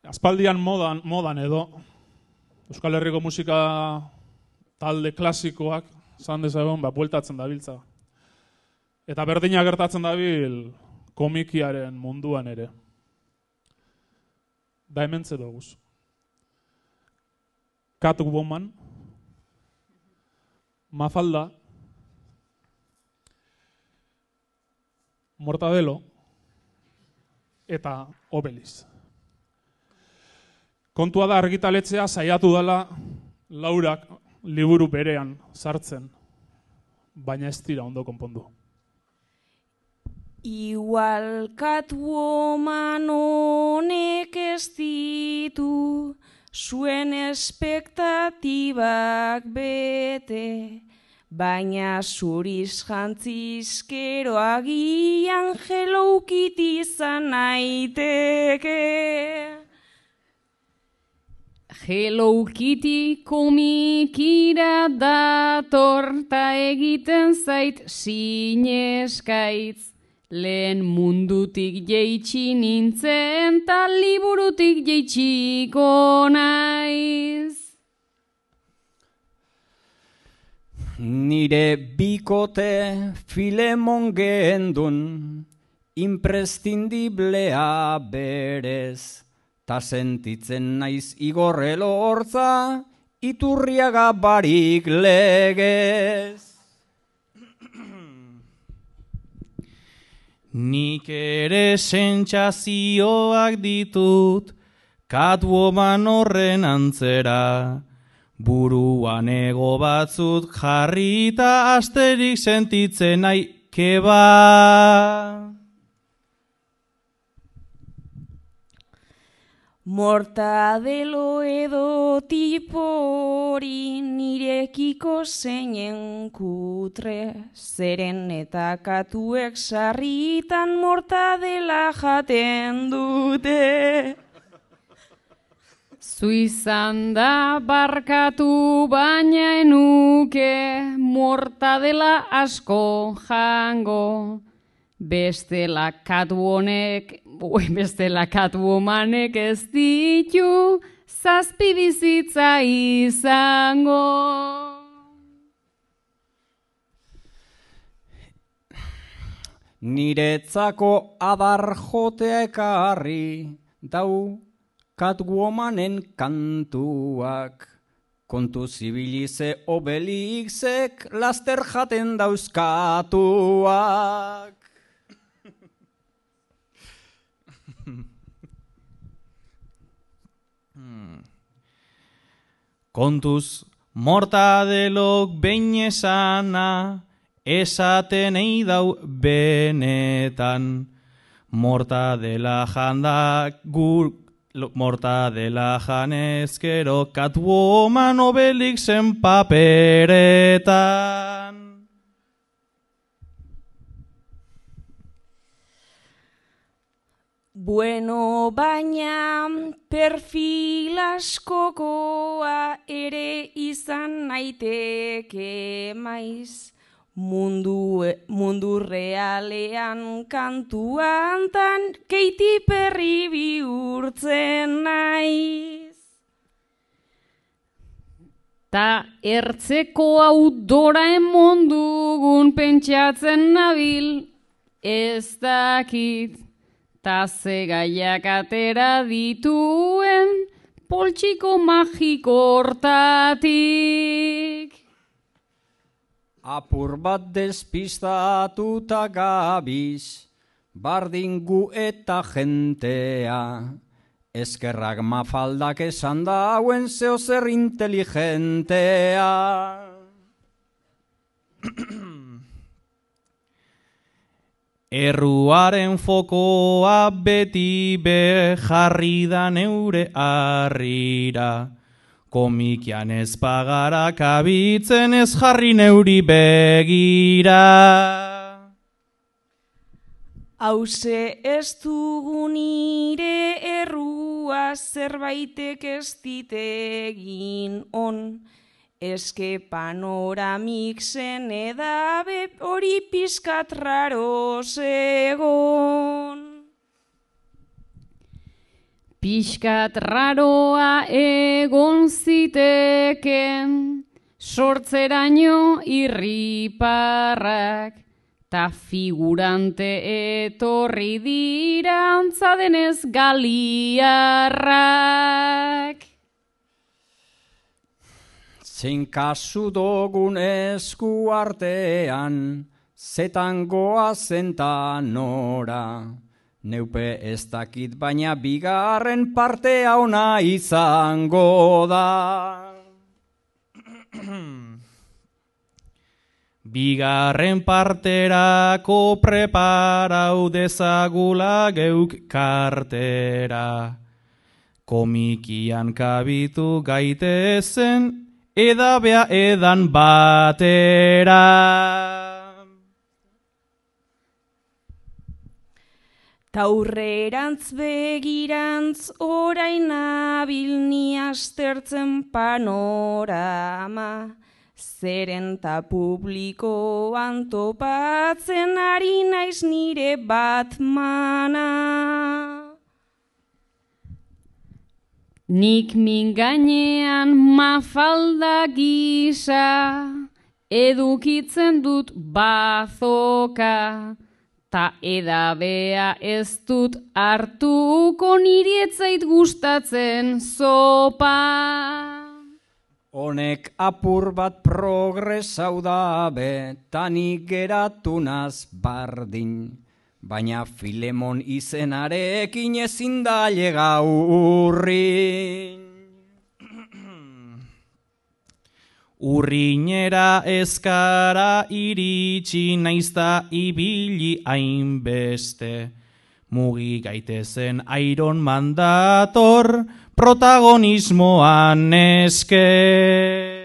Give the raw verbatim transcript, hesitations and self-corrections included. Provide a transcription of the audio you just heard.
Aspaldian modan, modan edo Euskal Herriko musika talde klasikoak zan dezagun, ba, bueltatzen dabiltza. Eta berdina gertatzen dabil komikiaren munduan ere. Da hemen doguz. Catwoman, Mafalda, Mortadelo eta Obeliz. Kontua da argitaletzea saiatu dela Laurak liburu berean sartzen, baina ez dira ondo konpondu. Igual Catwoman honek ez ditu zuen espektatibak bete, baina zuriz jantzizkero agian Hello Kitty izan naiteke. Hello Kitty komikira dator ta egiten zait sineskaitz. Lehen mundutik jeitsi nintzen ta liburutik jeitsiko naiz. Nire bikote Filemon gendun, imprescindiblea berez. Ta sentitzen naiz Igorrelo hortza, Iturriaga barik legez. Nik ere sentsazioak ditut, Catwoman horren antzera, buruan ego batzut jarrita asterik sentitzen nahi keba. Mortadelo edo tipori nirekiko zeinen kutre, zeren eta katuek sarritan mortadela jaten dute. Zu izan da barkatu baina enuke mortadela asko jango. Bestela Catwomanek, bestela Catwomanek ez ditu zazpi bizitza izango. Niretzako adar jotea ekarri dau Catwomanen kantuak. Kontu zibilize Obelixek laster jaten dauzkatuak. Kontuz, Mortadelok behin esana, esaten eidau benetan. Mortadela jandak gur, Mortadela janezkero, Catwoman Obelixen paperetan. Bueno, baina perfil askokoa ere izan naiteke maiz. Mundu, mundu realean kantuan tan Katy Perry bihurtzen naiz. Ta ertzeko hau Doraemon dugun pentsatzen nabil, ez dakit. Ta ze gaiak atera dituen poltsiko magiko hortatik. Apur bat despistatuta gabiz, bardin gu eta jentea. Eskerrak Mafaldak esan dauen zeo zer inteligentea. Erruaren fokoa beti be jarri da neure harrira. Komikian ez pagara kabitzen ez jarri neuri begira. Hauze ez dugu nire errua zerbaitek ez ditegin on. Eske panoramik zen edabe hori pizkat raro zegon. Pixkat raroa egon ziteken, sortzeraino irriparrak, ta figurante etorri dira antza denez galiarrak. Zein kasu dogun esku artean, zetan goazen ta nora. Neupe ez dakit baina bigarren partea ona izango da. Bigarren parterako preparau dezagula geuk kartera. Komikian kabitu gaitezen edabea edan batera. Taurrerantz begirantz orain nabil ni astertzen panorama, zeren ta publikoan topatzen ari naiz nire Batmana. Nik min gainean mafalda gisa, edukitzen dut bazoka, ta edabea ez dut hartuko niri ez zait gustatzen zopa. Honek apur bat progresau dabe, tanik geratu naz bardin, baina Filemon izenarekin ezin da llega urrin. Urrinera ezkara iritsi naizta ibili hainbeste. Mugi gaitezen Iron Man dator protagonismoan eske.